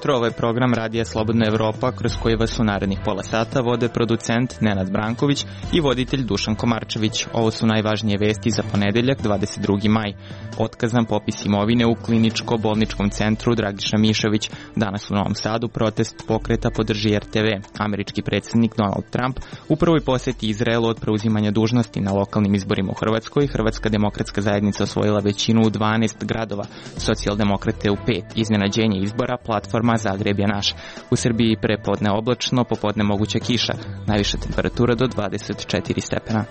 jutro, ovo je program Radija Slobodna Evropa, kroz koji vas u narednih pola sata vode producent Nenad Branković i voditelj Dušan Komarčević. Ovo su najvažnije vesti za ponedeljak, 22. maj. Otkazan popis imovine u kliničko-bolničkom centru Dragiša Mišović. Danas u Novom Sadu protest pokreta podrži RTV. Američki predsjednik Donald Trump u prvoj poseti Izraelu od preuzimanja dužnosti na lokalnim izborima u Hrvatskoj. Hrvatska demokratska zajednica osvojila većinu u 12 gradova, socijaldemokrate u 5. Iznenađenje izbora, platforma Zagreb je naš. U Srbiji prepodne oblačno, popodne moguća kiša. Najviša temperatura do 24 stepena.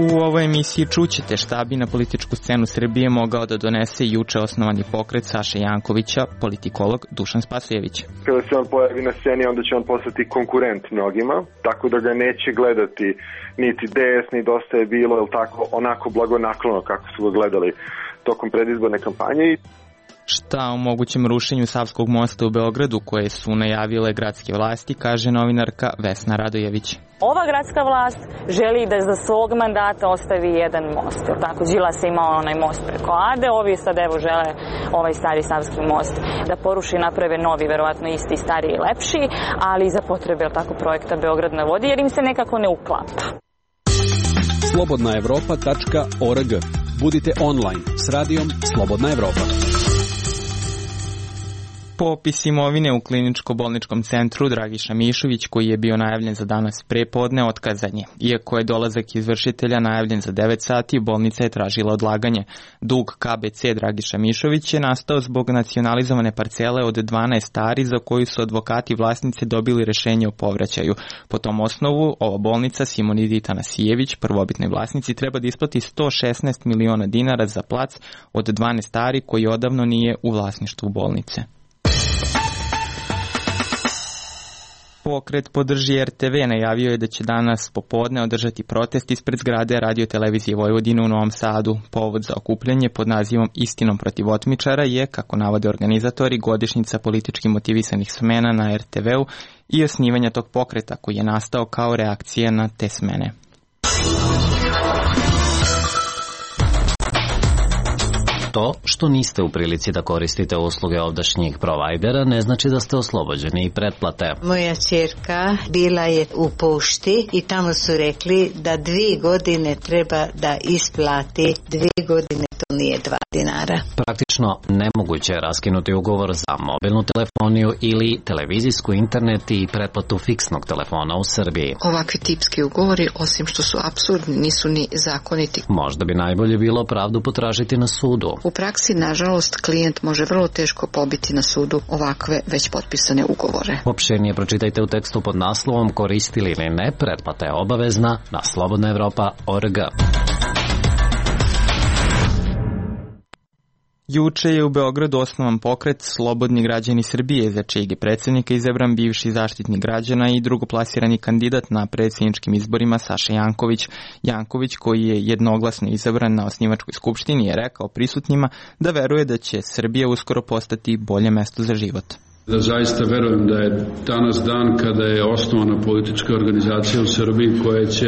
U ovoj emisiji čućete šta bi na političku scenu Srbije mogao da donese juče osnovani pokret Saše Jankovića, politikolog Dušan Spasojević. Kada se on pojavi na sceni, onda će on postati konkurent mnogima, tako da ga neće gledati niti DS, ni Dosta je bilo, ili tako, onako blagonaklono kako su ga gledali tokom predizborne kampanje. Šta o mogućem rušenju Savskog mosta u Beogradu koje su najavile gradske vlasti, kaže novinarka Vesna Radojević. Ova gradska vlast želi da za svog mandata ostavi jedan most. Tako, Đilas je imao onaj most preko Ade, ovi sad evo žele ovaj stari Savski most da poruši i naprave novi, verovatno isti, stariji i lepši, ali za potrebe tako projekta Beograd na vodi, jer im se nekako ne uklapa. slobodnaevropa.org. Budite online s radijom Slobodna Evropa. Popis imovine u kliničko-bolničkom centru Dragiša Mišović, koji je bio najavljen za danas prepodne, otkazan je. Iako je dolazak izvršitelja najavljen za 9 sati, bolnica je tražila odlaganje. Dug KBC Dragiša Mišović je nastao zbog nacionalizovane parcele od 12 ari za koju su advokati vlasnice dobili rešenje o povraćaju. Po tom osnovu, ova bolnica Simonidi Tanasijević, prvobitnoj vlasnici, treba da isplati 116 miliona dinara za plac od 12 ari koji odavno nije u vlasništvu bolnice. Pokret podrži RTV najavio je da će danas popodne održati protest ispred zgrade Radio-televizije Vojvodine u Novom Sadu. Povod za okupljanje pod nazivom Istinom protiv otmičara je, kako navode organizatori, godišnjica politički motivisanih smena na RTV-u i osnivanja tog pokreta koji je nastao kao reakcija na te smene. To što niste u prilici da koristite usluge ovdašnjih provajdera ne znači da ste oslobođeni i pretplate. Moja ćerka bila je u pošti i tamo su rekli da 2 godine treba da isplati, 2 godine to nije 2 dinara. Praktično nemoguće je raskinuti ugovor za mobilnu telefoniju ili televizijsku, internet i pretplatu fiksnog telefona u Srbiji. Ovakvi tipski ugovori, osim što su apsurdni, nisu ni zakoniti. Možda bi najbolje bilo pravdu potražiti na sudu. U praksi, nažalost, klijent može vrlo teško pobiti na sudu ovakve već potpisane ugovore. Opširnije pročitajte u tekstu pod naslovom Koristili ili ne, pretplata je obavezna na slobodnaevropa.org. Juče je u Beogradu osnovan pokret Slobodni građani Srbije, za čijeg je predsjednika izabran bivši zaštitnik građana i drugoplasirani kandidat na predsjedničkim izborima Saša Janković. Janković, koji je jednoglasno izabran na osnivačkoj skupštini, je rekao prisutnima da veruje da će Srbija uskoro postati bolje mesto za život. Da zaista verujem da je danas dan kada je osnovana politička organizacija u Srbiji koja će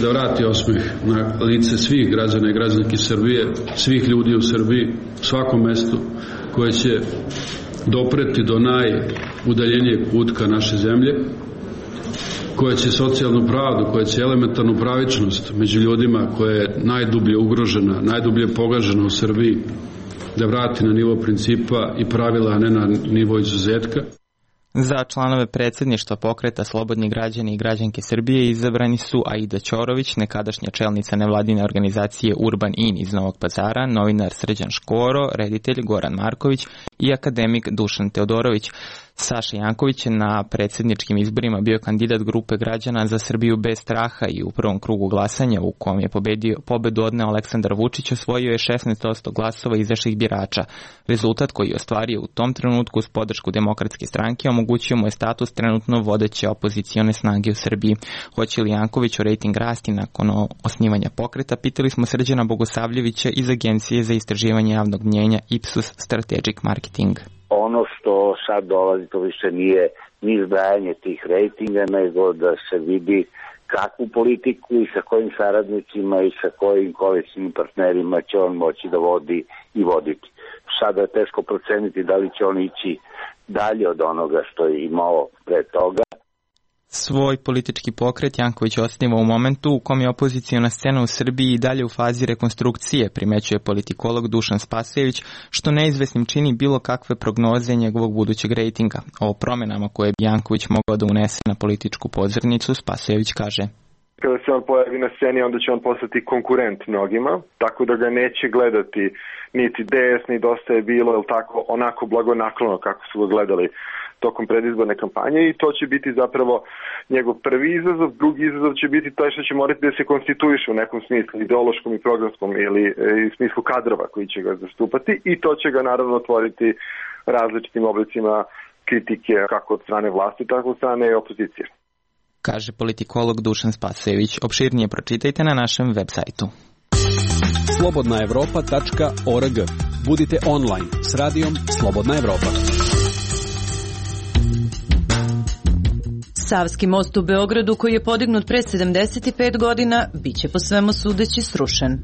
da vrati osmeh na lice svih građana i građanki Srbije, svih ljudi u Srbiji, svakom mestu, koje će dopreti do najudaljenijeg kutka naše zemlje, koja će socijalnu pravdu, koja će elementarnu pravičnost među ljudima koja je najdublje ugrožena, najdublje pogažena u Srbiji, da vrati na nivo principa i pravila, a ne na nivo izuzetka. Za članove predsjedništva pokreta Slobodni građani i građanke Srbije izabrani su Aida Ćorović, nekadašnja čelnica nevladine organizacije Urban In iz Novog Pazara, novinar Srđan Škoro, reditelj Goran Marković i akademik Dušan Teodorović. Saša Janković je na predsjedničkim izborima bio kandidat grupe građana za Srbiju bez straha i u prvom krugu glasanja u kom je pobedu odneo Aleksandar Vučić, osvojio je 16% glasova izašlih birača. Rezultat koji je ostvario u tom trenutku uz podršku Demokratske stranke omogućio mu je status trenutno vodeće opozicione snage u Srbiji. Hoće li Janković u rejting rasti nakon osnivanja pokreta, pitali smo Srđana Bogosavljevića iz Agencije za istraživanje javnog mnjenja Ipsos Strategic Marketing. Ono što sad dolazi, to više nije ni zbrajanje tih rejtinga, nego da se vidi kakvu politiku i sa kojim saradnicima i sa kojim koalicijnim partnerima će on moći da vodi i voditi. Sada je teško proceniti da li će on ići dalje od onoga što je imao pre toga. Svoj politički pokret Janković osniva u momentu u kom je opoziciona scena u Srbiji i dalje u fazi rekonstrukcije, primećuje politikolog Dušan Spasojević, što neizvesnim čini bilo kakve prognoze njegovog budućeg rejtinga. O promenama koje bi Janković mogao da unese na političku pozornicu, Spasojević kaže: Kada se on pojavi na sceni, onda će on postati konkurent mnogima, tako da ga neće gledati niti DS, ni Dosta je bilo, ili tako, onako blagonaklono kako su ga gledali tokom predizborne kampanje, i to će biti zapravo njegov prvi izazov. Drugi izazov će biti taj što će morati da se konstituiše u nekom smislu, ideološkom i programskom, ili u smislu kadrova koji će ga zastupati, i to će ga naravno otvoriti različitim oblicima kritike kako od strane vlasti, tako od strane opozicije. Kaže politikolog Dušan Spasojević. Opširnije pročitajte na našem web sajtu. slobodnaevropa.org. Budite online s radijom Slobodna Evropa. Savski most u Beogradu, koji je podignut pre 75 godina, biće po svemu sudeći srušen.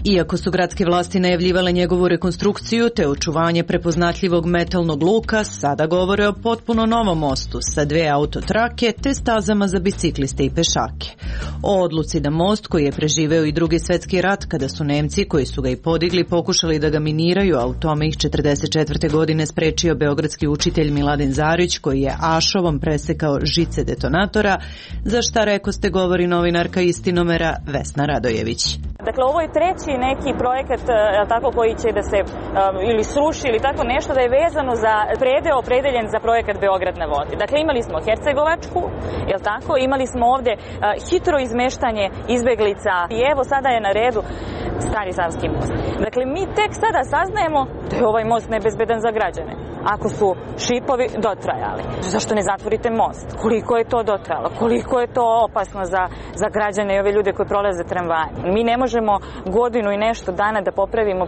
Iako su gradske vlasti najavljivale njegovu rekonstrukciju te očuvanje prepoznatljivog metalnog luka, sada govore o potpuno novom mostu sa 2 autotrake te stazama za bicikliste i pešake. O odluci da most, koji je preživeo i Drugi svetski rat kada su Nemci, koji su ga i podigli, pokušali da ga miniraju, a u tome ih 44. godine sprečio beogradski učitelj Miladin Zarić, koji je ašovom presekao žice detonatora, za šta rekoste govori novinarka Istinomera Vesna Radojević. Dakle, ovo je treći neki projekat tako koji će da se ili sruši ili tako nešto, da je vezano za predeo opredeljen za projekat Beograd na vodi. Dakle, imali smo Hercegovačku, jel tako? Imali smo ovde hitro izmeštanje izbeglica i evo sada je na redu Stari Savski most. Dakle, mi tek sada saznajemo da je ovaj most nebezbedan za građane. Ako su šipovi dotrajali, zašto ne zatvorite most? Koliko je to dotrajalo? Koliko je to opasno za građane i ove ljude koji prolaze tramvajem? Mi ne možemo godinu i nešto dana da popravimo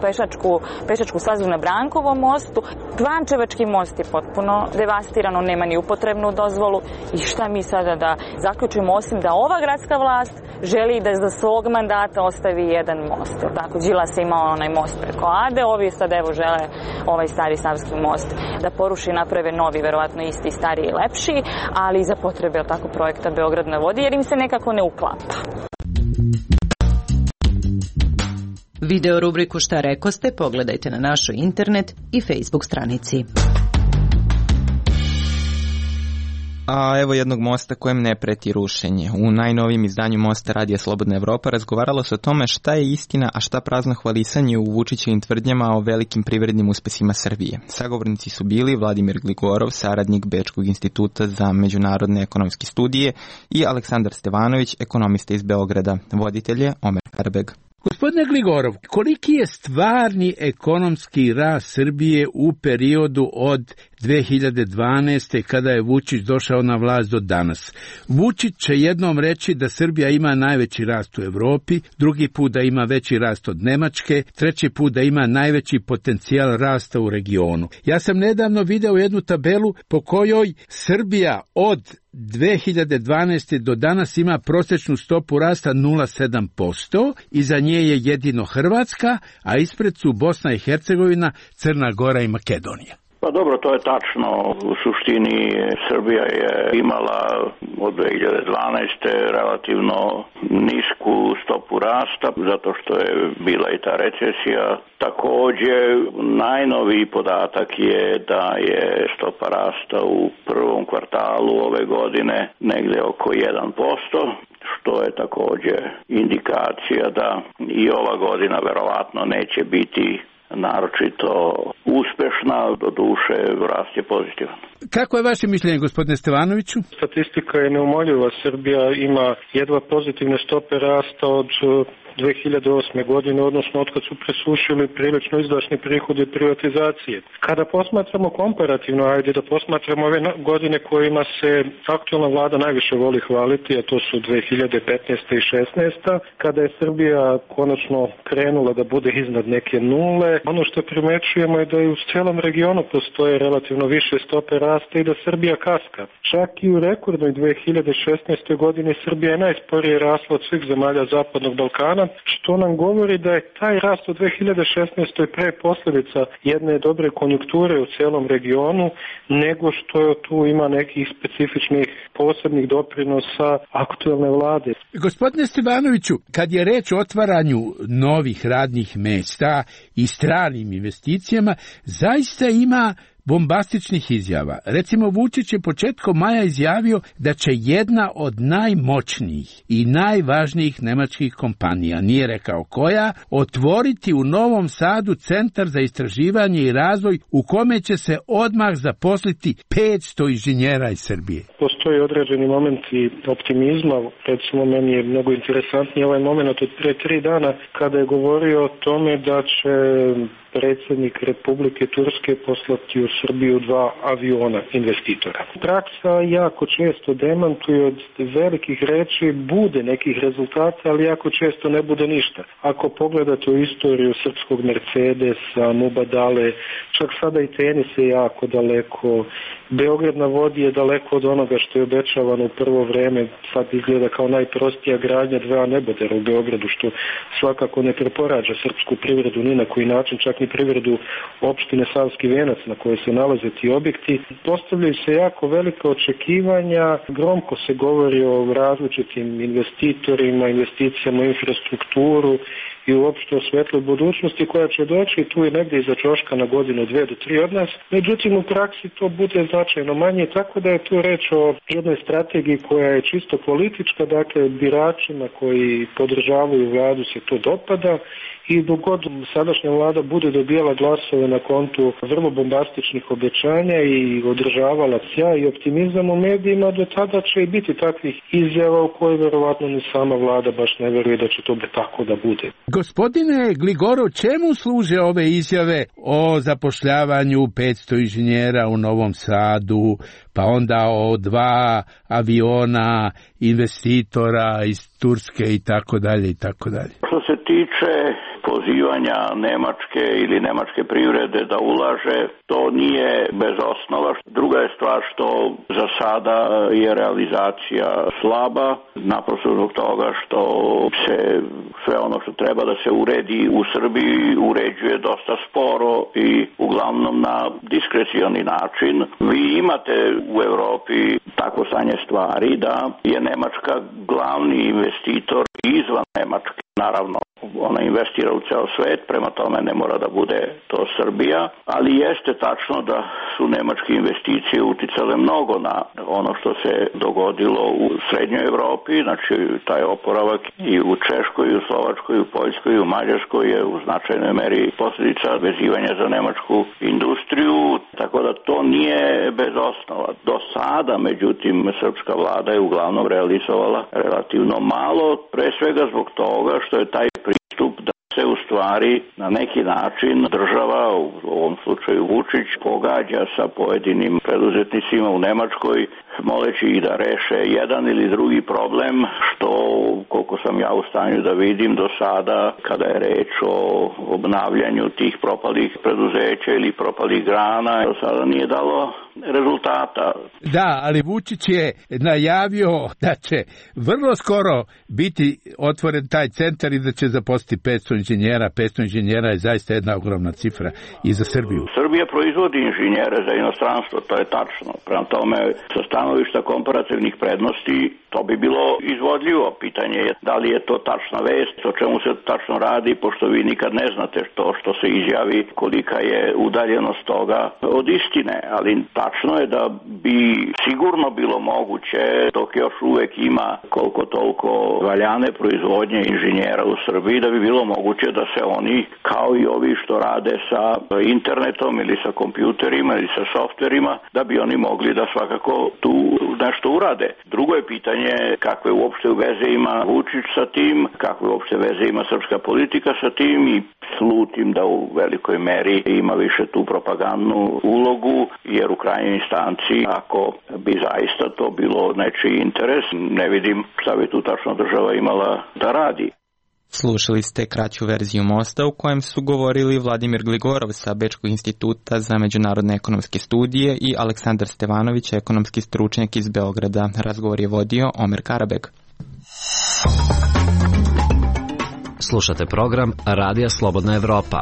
pešačku stazu na Brankovom mostu. Klančevački most je potpuno devastiran, on nema ni upotrebnu dozvolu. I šta mi sada da zaključimo, osim da ova gradska vlast želi da za svog mandata ostavi jedan most. Tako, Đilas je imao onaj most preko Ade, ovi sad evo žele ovaj Stari Savski most da poruši, naprave novi, verovatno isti, stariji i lepši, ali za potrebe tako projekta Beograd na vodi, jer im se nekako ne uklapa. Video rubriku Šta rekoste pogledajte na našoj internet i Facebook stranici. A evo jednog mosta kojem ne preti rušenje. U najnovijem izdanju Mosta Radija Slobodna Evropa razgovaralo se o tome šta je istina, a šta prazno hvalisanje u Vučićevim tvrdnjama o velikim privrednim uspesima Srbije. Sagovornici su bili Vladimir Gligorov, saradnik Bečkog instituta za međunarodne ekonomske studije, i Aleksandar Stevanović, ekonomista iz Beograda. Voditelj je Omer Karbeg. Gospodine Gligorov, koliki je stvarni ekonomski rast Srbije u periodu od 2012. kada je Vučić došao na vlast do danas? Vučić će jednom reći da Srbija ima najveći rast u Evropi, drugi put da ima veći rast od Nemačke, treći put da ima najveći potencijal rasta u regionu. Ja sam nedavno video jednu tabelu po kojoj Srbija od 2012. do danas ima prosječnu stopu rasta 0,7%, iza nje je jedino Hrvatska, a ispred su Bosna i Hercegovina, Crna Gora i Makedonija. Pa dobro, to je tačno. U suštini Srbija je imala od 2012. relativno nisku stopu rasta, zato što je bila i ta recesija. Također, najnoviji podatak je da je stopa rasta u prvom kvartalu ove godine negdje oko 1%, što je također indikacija da i ova godina verovatno neće biti naročito uspešna, do duše rast je pozitivan. Kako je vaše mišljenje, gospodine Stevanoviću? Statistika je neumoljiva. Srbija ima jedva pozitivne stope rasta od 2008. godine, odnosno otkad su presušili prilično izdašni prihodi privatizacije. Kada posmatramo komparativno, ajde da posmatramo ove godine kojima se aktualna vlada najviše voli hvaliti, a to su 2015. i 2016. kada je Srbija konačno krenula da bude iznad neke nule. Ono što primećujemo je da i u celom regionu postoje relativno više stope rasta i da Srbija kaska. Čak i u rekordnoj 2016. godini Srbija je najsporije rasla od svih zemalja Zapadnog Balkana, što nam govori da je taj rast u 2016. pre posljedica jedne dobre konjunkture u celom regionu, nego što tu ima nekih specifičnih posebnih doprinosa aktuelne vlade. Gospodine Stevanoviću, kad je reč o otvaranju novih radnih mesta i stranim investicijama, zaista ima bombastičnih izjava. Recimo, Vučić je početkom maja izjavio da će jedna od najmoćnijih i najvažnijih nemačkih kompanija, nije rekao koja, otvoriti u Novom Sadu centar za istraživanje i razvoj u kome će se odmah zaposliti 500 inženjera iz Srbije. Postoji određeni momenti optimizma. Recimo, meni je mnogo interesantniji ovaj moment od pre 3 dana kada je govorio o tome da će predsjednik Republike Turske poslati u Srbiju 2 aviona investitora. Praksa jako često demantuje od velikih reči, bude nekih rezultata, ali jako često ne bude ništa. Ako pogledate u istoriju srpskog Mercedesa, Mubadale, čak sada i tenis je jako daleko, Beograd na vodi je daleko od onoga što je obećavano u prvo vreme, sad izgleda kao najprostija gradnja 2 nebodera u Beogradu, što svakako ne preporađa srpsku privredu ni na koji način, čak ni privredu opštine Savski Venac na kojoj se nalaze ti objekti. Postavljaju se jako velika očekivanja, gromko se govori o različitim investitorima, investicijama u infrastrukturu i uopšte o svetloj budućnosti koja će doći tu i negdje iza ćoška na godinu, 2 do 3 od nas. Međutim, u praksi to bude značajno manje, tako da je tu reč o jednoj strategiji koja je čisto politička, dakle biračima koji podržavaju vladu se to dopada i dok god sadašnja vlada bude dobijala glasove na kontu vrlo bombastičnih obećanja i održavala sjaj i optimizam u medijima, do tada će i biti takvih izjava u koje verovatno ni sama vlada baš ne veruje da će to tako da bude. Gospodine Gligorov, čemu služe ove izjave o zapošljavanju 500 inženjera u Novom Sadu, pa onda o 2 aviona investitora iz Turske i tako dalje i tako dalje? Što se tiče pozivanja Nemačke ili nemačke privrede da ulaže, to nije bez osnova. Druga je stvar što za sada je realizacija slaba, naprosto zbog toga što se sve ono što treba da se uredi u Srbiji uređuje dosta sporo i uglavnom na diskrecioni način. Vi imate u Evropi tako stanje stvari da je Nemačka glavni investitor izvan Nemačke. Naravno, ona investira u ceo svet, prema tome ne mora da bude to Srbija, ali jeste tačno da su nemačke investicije uticale mnogo na ono što se dogodilo u srednjoj Evropi, znači taj oporavak i u Češkoj, i u Slovačkoj, i u Poljskoj, i u Mađarskoj je u značajnoj meri posljedica vezivanja za nemačku industriju, tako da to nije bez osnova. Do sada, međutim, srpska vlada je uglavnom realizovala relativno malo, pre svega zbog toga što je taj pristup da se u stvari na neki način država, u ovom slučaju Vučić, pogađa sa pojedinim preduzetnicima u Nemačkoj, moleći ih da reše jedan ili drugi problem, što, koliko sam ja u stanju da vidim do sada, kada je reč o obnavljanju tih propalih preduzeća ili propalih grana, do sada nije dalo rezultata. Da, ali Vučić je najavio da će vrlo skoro biti otvoren taj centar i da će zaposliti 500 inženjera. 500 inženjera je zaista jedna ogromna cifra i za Srbiju. Srbija proizvodi inženjere za inostranstvo, to je tačno. Prema tome, sa stanovišta komparativnih prednosti, to bi bilo izvodljivo. Pitanje je da li je to tačna vest, o čemu se tačno radi, pošto vi nikad ne znate to što se izjavi, kolika je udaljenost toga od istine, ali tačno tačno je da bi sigurno bilo moguće, dok još uvek ima koliko toliko valjane proizvodnje inženjera u Srbiji, da bi bilo moguće da se oni, kao i ovi što rade sa internetom ili sa kompjuterima ili sa softverima, da bi oni mogli da svakako tu nešto urade. Drugo je pitanje kakve uopšte veze ima Vučić sa tim, kakve uopšte veze ima srpska politika sa tim, i slutim da u velikoj meri ima više tu propagandnu ulogu, jer u krajnjoj instanci, ako bi zaista to bilo nečiji interes, ne vidim šta bi tu tačno država imala da radi. Slušali ste kraću verziju Mosta u kojem su govorili Vladimir Gligorov sa Bečkog instituta za međunarodne ekonomske studije i Aleksandar Stevanović, ekonomski stručnjak iz Beograda. Razgovor je vodio Omer Karabeg. Slušate program Radija Slobodna Evropa.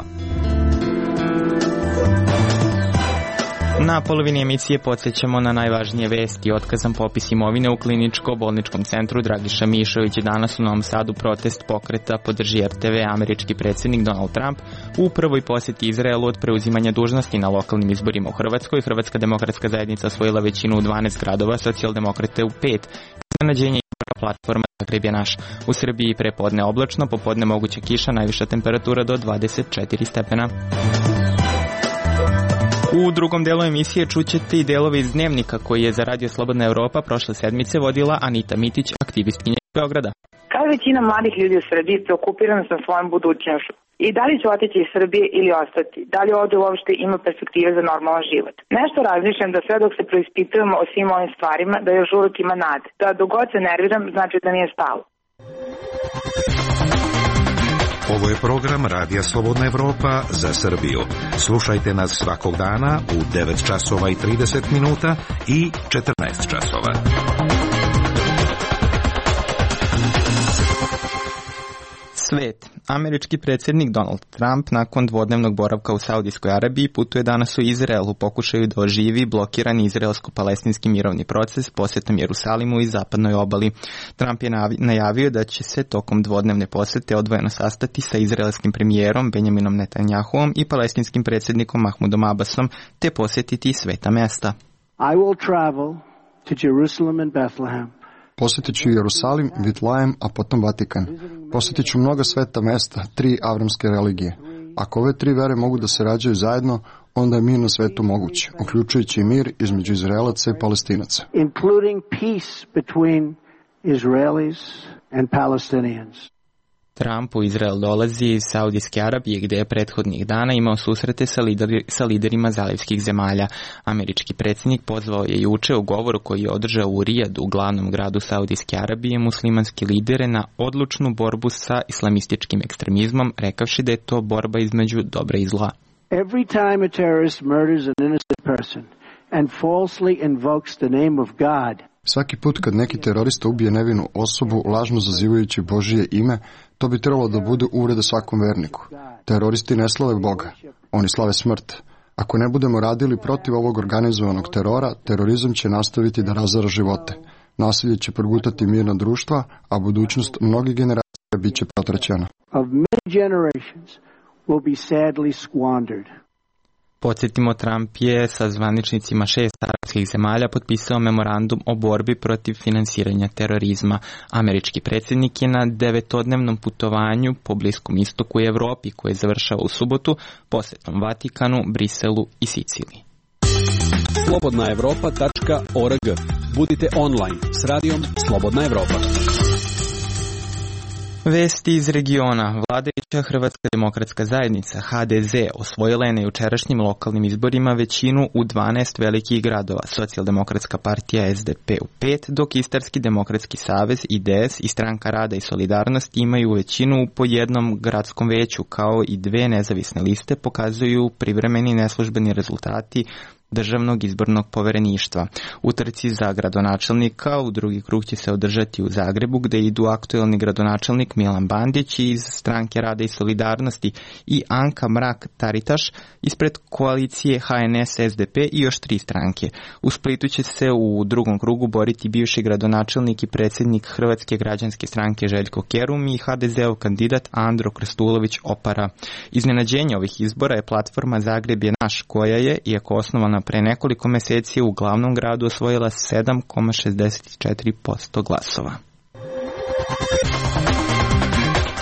Na polovini emisije podsjećamo na najvažnije vesti. Otkazan popis imovine u kliničko-bolničkom centru Dragiša Mišović. Danas u Novom Sadu protest pokreta podrži RTV. Američki predsjednik Donald Trump u prvoj posjeti Izraelu od preuzimanja dužnosti na lokalnim izborima u Hrvatskoj. Hrvatska demokratska zajednica osvojila većinu u 12 gradova, socijaldemokrate u 5. Iznenađenje izbora platforma Zagreb je naš. U Srbiji prepodne oblačno, popodne moguća kiša, najviša temperatura do 24 stepena. U drugom delu emisije čućete i delove iz Dnevnika koji je za Radio Slobodna Evropa prošle sedmice vodila Anita Mitić, aktivistkinja iz Beograda. Kao većina mladih ljudi u Srbiji preokupirana sam svojom budućnošću. I da li ću otići iz Srbije ili ostati? Da li ovdje uopšte ima perspektive za normalan život? Nešto razmišljam da sve dok se preispitujemo o svim ovim stvarima, da još uvijek ima nade. Da dok god se nerviram, znači da nije stalo. Ovo je program Radija Slobodna Evropa za Srbiju. Slušajte nas svakog dana u 9 časova i 30 minuta i 14 časova. Svet. Američki predsjednik Donald Trump nakon dvodnevnog boravka u Saudijskoj Arabiji putuje danas u Izrael u pokušaju da oživi blokirani izraelsko-palestinski mirovni proces posjetom Jerusalimu i zapadnoj obali. Trump je najavio da će se tokom dvodnevne posjete odvojeno sastati sa izraelskim premijerom Benjaminom Netanjahuom i palestinskim predsjednikom Mahmudom Abbasom te posjetiti sveta mesta. I will travel to Jerusalem and Bethlehem. Posjetit ću Jerusalim, Vitlajem, a potom Vatikan. Posjetit ću mnoga sveta mesta, 3 avramske religije. Ako ove 3 vere mogu da se rađaju zajedno, onda je mir na svetu moguć, uključujući mir između Izraelaca i Palestinaca. Including peace between Israelis and Palestinians. Trump u Izrael dolazi iz Saudijske Arabije gdje je prethodnih dana imao susrete sa liderima zalivskih zemalja. Američki predsjednik pozvao je juče u govoru koji je održao u Rijadu, glavnom gradu Saudijske Arabije, muslimanske lidere na odlučnu borbu sa islamističkim ekstremizmom, rekavši da je to borba između dobra i zla. Every time a terrorist murders an innocent person and falsely invokes the name of God. Svaki put kad neki terorista ubije nevinu osobu lažno zazivajući Božije ime, to bi trebalo da bude uvreda svakom verniku. Teroristi ne slave Boga, oni slave smrt. Ako ne budemo radili protiv ovog organizovanog terora, terorizam će nastaviti da razara živote. Nasilje će progutati mirna društva, a budućnost mnogih generacija bit će protraćena. Of many generations will be sadly squandered. Podsjetimo, Trump je sa zvaničnicima 6 arapskih zemalja potpisao memorandum o borbi protiv finansiranja terorizma. Američki predsjednik je na 9-dnevnom putovanju po Bliskom istoku i Evropi koje završava u subotu posjetom Vatikanu, Briselu i Siciliji. slobodnaevropa.org. Budite online s radijom Slobodna Evropa. Vesti iz regiona. Vladajuća Hrvatska demokratska zajednica HDZ osvojila je na jučerašnjim lokalnim izborima većinu u 12 velikih gradova. Socijaldemokratska partija SDP u 5, dok Istarski demokratski savez, IDS i Stranka rada i solidarnosti imaju većinu po jednom gradskom veću, kao i 2 nezavisne liste, pokazuju privremeni neslužbeni rezultati Državnog izbornog povereništva. U trci za gradonačelnika u drugi krug će se održati u Zagrebu, gde idu aktuelni gradonačelnik Milan Bandić iz Stranke rada rada i solidarnosti i Anka Mrak-Taritaš ispred koalicije HNS-SDP i još 3 stranke. U Splitu će se u drugom krugu boriti bivši gradonačelnik i predsjednik Hrvatske građanske stranke Željko Kerum i HDZ-ov kandidat Andro Krstulović Opara. Iznenađenje ovih izbora je platforma Zagreb je naš, koja je, iako osnovana pre nekoliko meseci, u glavnom gradu osvojila 7,64% glasova.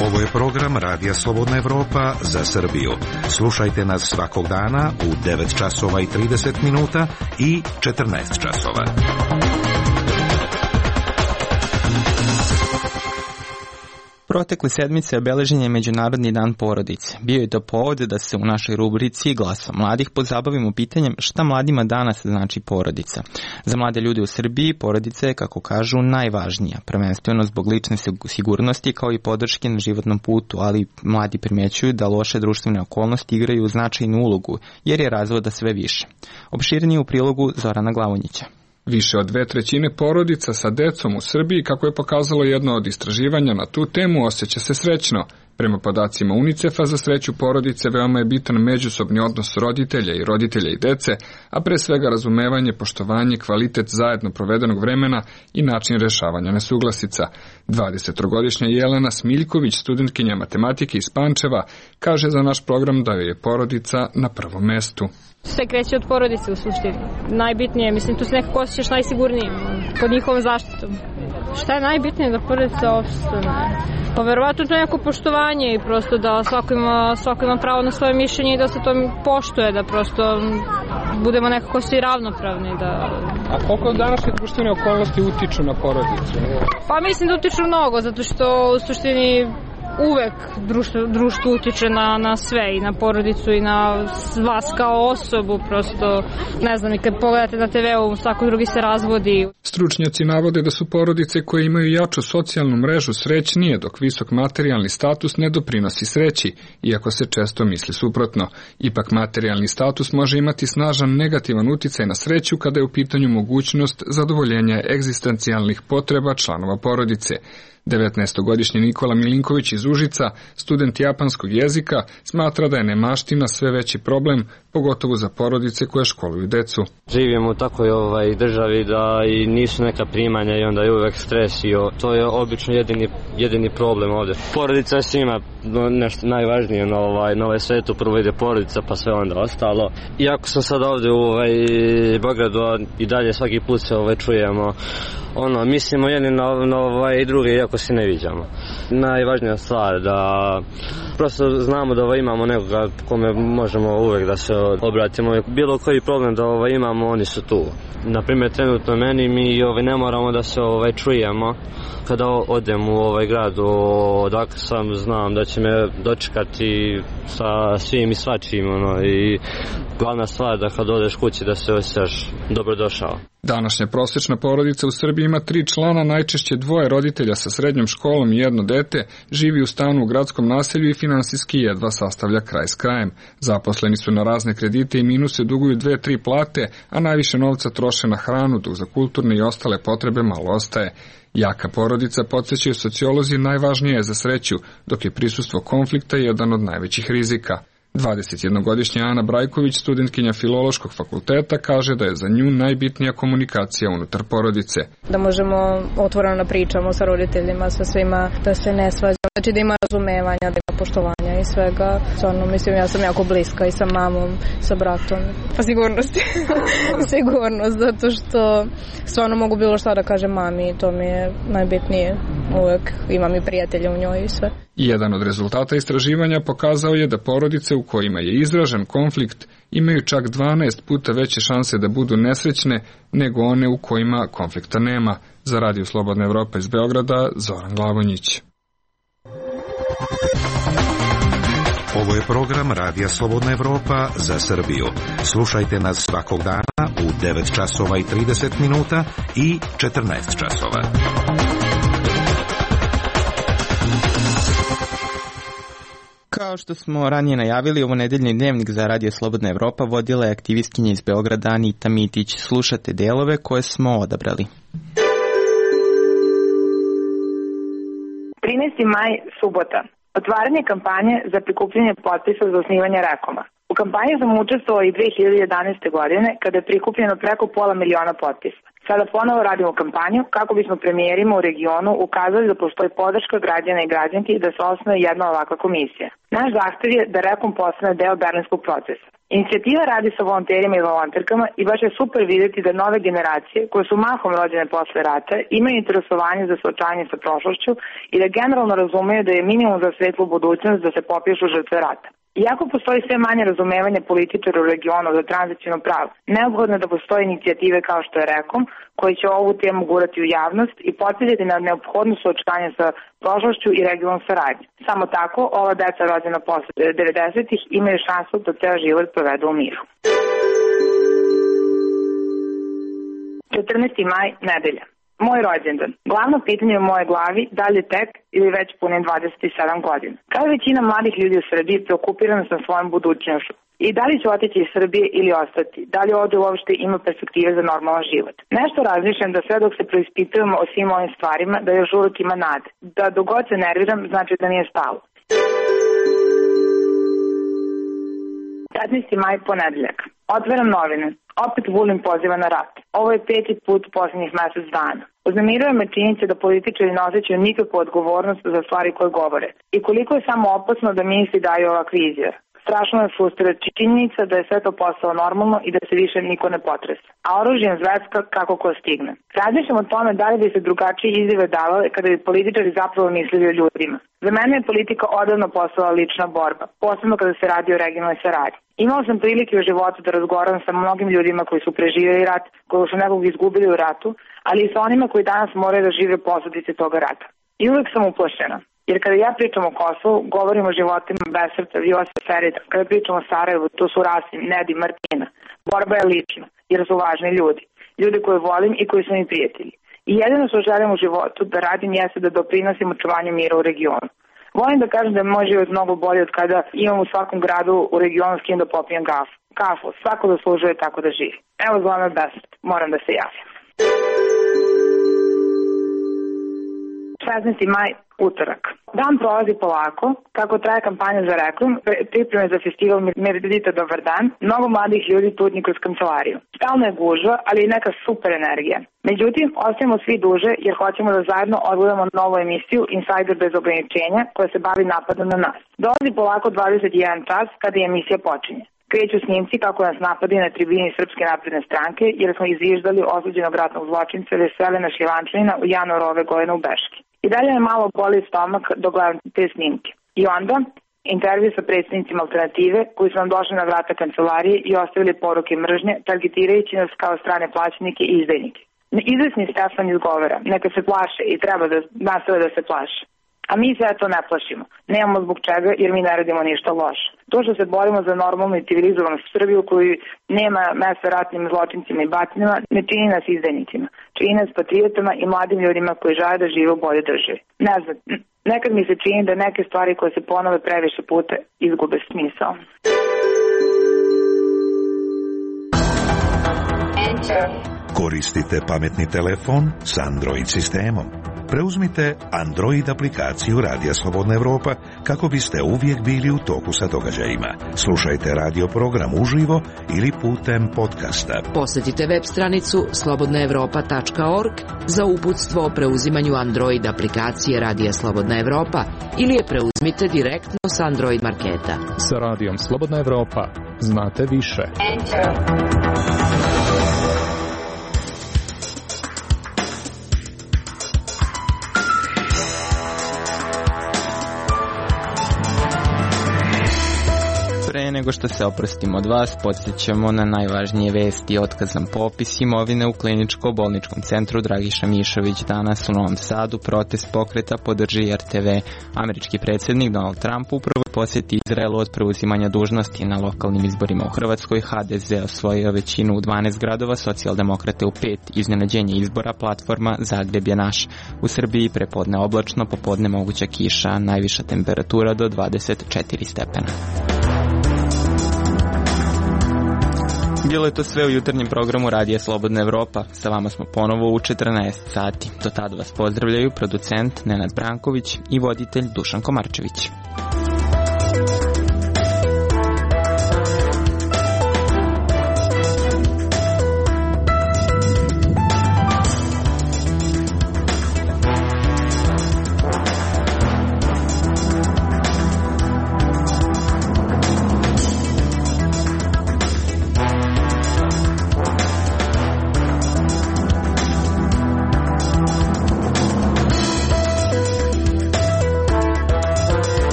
Ovo je program Radija Slobodna Evropa za Srbiju. Slušajte nas svakog dana u 9 časova i 30 minuta i 14 časova. Protekle sedmice obeležen je Međunarodni dan porodice. Bio je to povod da se u našoj rubrici Glasa mladih pozabavimo pitanjem šta mladima danas znači porodica. Za mlade ljude u Srbiji porodica je, kako kažu, najvažnija, prvenstveno zbog lične sigurnosti kao i podrške na životnom putu, ali mladi primjećuju da loše društvene okolnosti igraju značajnu ulogu, jer je razvoda sve više. Opširnije u prilogu Zorana Glavonjića. Više od 2/3 porodica sa decom u Srbiji, kako je pokazalo jedno od istraživanja na tu temu, osjeća se srećno. Prema podacima UNICEF-a, za sreću porodice veoma je bitan međusobni odnos roditelja i dece, a pre svega razumevanje, poštovanje, kvalitet zajedno provedenog vremena i način rešavanja nesuglasica. 23-godišnja Jelena Smiljković, studentkinja matematike iz Pančeva, kaže za naš program da joj je porodica na prvom mestu. Sve kreće od porodice u suštini. Najbitnije, mislim, tu se nekako osjećaš najsigurniji pod njihovom zaštitom. Šta je najbitnije da porodica opstane? Pa verovatno to je neko poštovanje i prosto da svako ima pravo na svoje mišljenje i da se to poštuje, da prosto budemo nekako svi ravnopravni. A koliko današnje društvene okolnosti utiču na porodicu? Pa mislim da utiču mnogo, zato što u suštini uvek društvo utiče na sve, i na porodicu i na vas kao osobu, prosto ne znam, i kad pogledate na TV-u svako drugi se razvodi. Stručnjaci navode da su porodice koje imaju jaču socijalnu mrežu srećnije, dok visok materijalni status ne doprinosi sreći, iako se često misli suprotno. Ipak materijalni status može imati snažan negativan uticaj na sreću kada je u pitanju mogućnost zadovoljenja egzistencijalnih potreba članova porodice. 19-godišnji Nikola Milinković iz Užica, student japanskog jezika, smatra da je nemaština sve veći problem, pogotovo za porodice koje školuju decu. Živimo u takvoj državi da i nisu neka primanja i onda je uvek stres i to je obično jedini problem ovde. Porodica je svima nešto najvažnije na ovaj svetu, prvo ide porodica pa sve onda ostalo. Iako sam sad ovde u Beogradu i dalje svaki put se čujemo, mislimo jedni na druge iako se ne viđamo. Najvažnija stvar da prosto znamo da imamo nekoga kome možemo uvek da se obratimo. Bilo koji problem da imamo, oni su tu. Naprimjer, trenutno meni mi ne moramo da se čujemo. Kada odem u grad, odakle sam, znam da će me dočekati sa svim i svačim. I glavna stvar da kad odeš kući da se osjećaš dobrodošao. Današnja prosječna porodica u Srbiji ima 3 člana, najčešće 2 roditelja sa srednjom školom i 1 dete, živi u stanu u gradskom naselju i finansijski jedva sastavlja kraj s krajem. Zaposleni su na razne kredite i minuse, duguju 2-3 plate, a najviše novca troše na hranu, dok za kulturne i ostale potrebe malo ostaje. Jaka porodica, podsjećaju sociolozi, najvažnija je za sreću, dok je prisustvo konflikta jedan od najvećih rizika. 21-godišnja Ana Brajković, studentkinja Filološkog fakulteta, kaže da je za nju najbitnija komunikacija unutar porodice. Da možemo otvoreno da pričamo sa roditeljima, sa svima, da se ne svađamo, znači da ima razumevanja, da ima poštovanja i svega. Stvarno, mislim, ja sam jako bliska i sa mamom, sa bratom. Pa sigurnost. Sigurnost, zato što stvarno mogu bilo šta da kažem mami, to mi je najbitnije. Uvek imam i prijatelje u njoj i sve. Jedan od rezultata istraživanja pokazao je da porodice u kojima je izražen konflikt imaju čak 12 puta veće šanse da budu nesrećne nego one u kojima konflikta nema. Za Radio Slobodna Evropa iz Beograda, Zoran Glavonjić. Ovo je program Radija Slobodna Evropa za Srbiju. Slušajte nas svakog dana u 9 časova i 30 minuta i 14 časova. Kao što smo ranije najavili, ovo nedeljni dnevnik za Radio Slobodna Evropa vodila je aktivistkinja iz Beograda Anita Mitić. Slušate delove koje smo odabrali. 13. maj, subota. Otvaranje kampanje za prikupljanje potpisa za osnivanje Rekoma. U kampanji sam učestvovao i 2011. godine kada je prikupljeno preko 500.000 potpisa. Sada ponovo radimo kampanju kako bismo premijerima u regionu ukazali da postoji podrška građana i građanki da se osnuje jedna ovakva komisija. Naš zahtev je da Rekom postane deo berlinskog procesa. Inicijativa radi sa volonterima i volonterkama i baš je super vidjeti da nove generacije, koje su mahom rođene posle rata, imaju interesovanje za suočavanje sa prošlošću i da generalno razumeju da je minimum za svetlu budućnost da se popišu žrtve rata. Iako postoji sve manje razumevanja političara u regionu za tranzicijno pravo, neophodno je da postoje inicijative kao što je Rekom, koji će ovu temu gurati u javnost i podsjetiti na neophodno suočavanje sa prošlošću i regionalnom saradnju. Samo tako, ova deca rođena posle 90-ih imaju šansu da ceo život provedu u miru. 14. maj, nedelja. Moj rođendan. Glavno pitanje u moje glavi, da li tek ili već punim 27 godina. Kao većina mladih ljudi u Srbiji, preokupirana sam svojom budućnošću. I da li ću otići iz Srbije ili ostati? Da li ovdje uopšte ima perspektive za normalan život? Nešto razmišljam da sve dok se preispitujemo o svim ovim stvarima, da još uvijek ima nade. Da dok god se nerviram, znači da nije stalo. 15. maj, ponedeljak. Otvaram novine. Opet Vulin poziva na rat. Ovo je 5. put u posljednjih mjesec dana. Uznemiruje me činjenica da političari ne osjećaju nikakvu odgovornost za stvari koje govore. I koliko je samo opasno da ministri daju ovakve izjave. Strašno je frustrira činjenica da je sve to postalo normalno i da se više niko ne potresa. A oružjem zveska kako ko stigne. Razmišljam o tome da li bi se drugačije izjave davale kada bi političari zapravo mislili o ljudima. Za mene je politika odavno postala lična borba, posebno kada se radi o regionalnoj saradnji. Imao sam prilike u životu da razgovaram sa mnogim ljudima koji su preživjeli rat, koji su nekog izgubili u ratu, ali i sa onima koji danas moraju da žive posljedice toga rata. I uvek sam uplašena. Jer kada ja pričam o Kosovu, govorim o životima Besrca, Vjosa Ferita. Kada pričam o Sarajevu, to su Rasim, Nedi, Martina. Borba je lična, jer su važni ljudi. Ljudi koje volim i koji su mi prijatelji. I jedino što želim u životu da radim jeste da doprinosim očuvanju mira u regionu. Volim da kažem da je moj život mnogo bolji od kada imam u svakom gradu u regionu s kim da popijem kafu. Svako zaslužuje tako da živi. Evo zvala Besrt, moram da se javim. 16. maj, utorak. Dan prolazi polako, kako traje kampanja za Rekom, pripreme za festival Meridita Dobar dan, mnogo mladih ljudi tutnji kroz kancelariju. Stalno je gužva, ali i neka super energija. Međutim, ostajemo svi duže jer hoćemo da zajedno odgledamo novu emisiju Insider bez ograničenja koja se bavi napadom na nas. Dolazi polako 21 čas kada je emisija počinje. Kreću snimci kako nas napadi na tribini Srpske napredne stranke jer smo izviždali osuđenog ratnog zločinca Veselina Šljivančanina u januaru ove godine u Beški. I dalje me malo boli stomak dok gledam te snimke. I onda intervju sa predstavnicima Alternative koji su nam došli na vrata kancelarije i ostavili poruke mržnje, targetirajući nas kao strane plaćenike i izdajnike. Izvesni Stefan izgovara, neka se plaše i treba da nastave da se plaše. A mi se to ne plašimo. Nemamo zbog čega jer mi ne radimo ništa loše. To što se borimo za normalnu i civilizovanu Srbiju koju nema mesta ratnim zločincima i batinama ne čini nas izdajnicima. Čini nas patriotama i mladim ljudima koji žele da žive u bolje državi. Ne znam, nekad mi se čini da neke stvari koje se ponove previše puta izgube smisao. Koristite pametni telefon s Android sistemom. Preuzmite Android aplikaciju Radija Slobodna Evropa kako biste uvijek bili u toku sa događajima. Slušajte radio program uživo ili putem podcasta. Posjetite web stranicu slobodnaevropa.org za uputstvo o preuzimanju Android aplikacije Radija Slobodna Evropa ili je preuzmite direktno s Android marketa. Sa Radijom Slobodna Evropa znate više. Pre nego što se oprostimo od vas, podsjećamo na najvažnije vesti. Otkazan popis imovine u kliničko-bolničkom centru Dragiša Mišović. Danas u Novom Sadu protest pokreta podrži RTV. Američki predsjednik Donald Trump u prvoj posjeti Izraelu od preuzimanja dužnosti na lokalnim izborima u Hrvatskoj. HDZ osvojio većinu u 12 gradova, socijaldemokrate u 5. Iznenađenje izbora, platforma Zagreb je naš. U Srbiji prepodne oblačno, popodne moguća kiša, najviša temperatura do 24 stepena. Bilo je to sve u jutarnjem programu Radija Slobodna Evropa. Sa vama smo ponovo u 14 sati. Do tada vas pozdravljaju producent Nenad Branković i voditelj Dušan Komarčević.